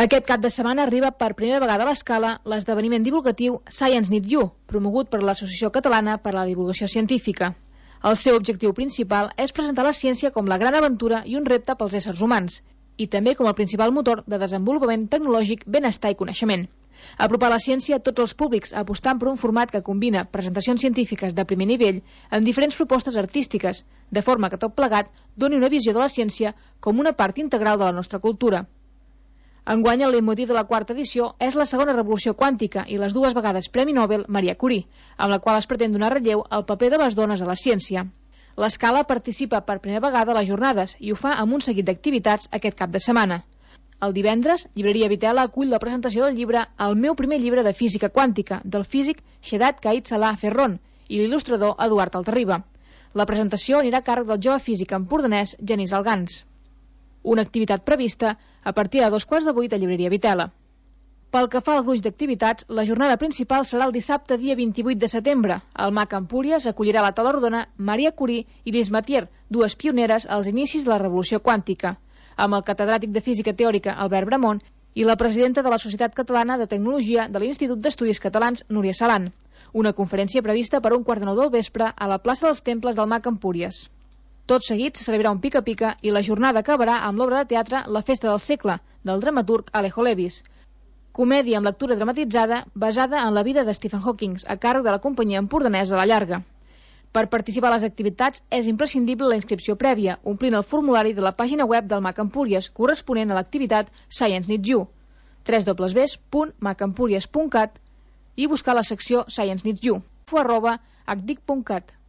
Aquest cap de setmana arriba per primera vegada a l'Escala l'esdeveniment divulgatiu Science Needs You, promogut per l'Associació Catalana per a la Divulgació Científica. El seu objectiu principal és presentar la ciència com la gran aventura i un repte pels éssers humans, i també com el principal motor de desenvolupament tecnològic, benestar i coneixement. Apropar la ciència a tots els públics, apostant per un format que combina presentacions científiques de primer nivell amb diferents propostes artístiques, de forma que tot plegat doni una visió de la ciència com una part integral de la nostra cultura. Enguany, el leitmotiv de la quarta edició és la segona revolució quàntica i les dues vegades Premi Nobel Maria Curie, amb la qual es pretén donar relleu al paper de les dones a la ciència. L'Escala participa per primera vegada a les jornades i ho fa amb un seguit d'activitats aquest cap de setmana. El divendres, Llibreria Vitela acull la presentació del llibre El meu primer llibre de física quàntica, del físic Shedat Caid Salah Ferron i l'il·lustrador Eduard Altarriba. La presentació anirà a càrrec del jove físic empordanès Genís Algans. Una activitat prevista a partir de 7:15 a Llibreria Vitela. Pel que fa al gruix d'activitats, la jornada principal serà el dissabte dia 28 de setembre. El MAC Empúries acollirà a la taula rodona Maria Curie i Lise Matière, dues pioneres als inicis de la revolució quàntica, amb el catedràtic de Física Teòrica Albert Bramont i la presidenta de la Societat Catalana de Tecnologia de l'Institut d'Estudis Catalans Núria Salan. Una conferència prevista per 1:15 del vespre a la plaça dels Temples del MAC Empúries. Tot seguit se celebrarà un pica-pica i la jornada acabarà amb l'obra de teatre La festa del segle, del dramaturg Alejo Levis. Comèdia amb lectura dramatitzada basada en la vida de Stephen Hawking, a càrrec de la companyia empordanesa La Llarga. Per participar a les activitats és imprescindible la inscripció prèvia, omplint el formulari de la pàgina web del MAC Empúries corresponent a l'activitat Science Needs You, www.macempúries.cat, i buscar la secció Science Needs You, @hdic.cat.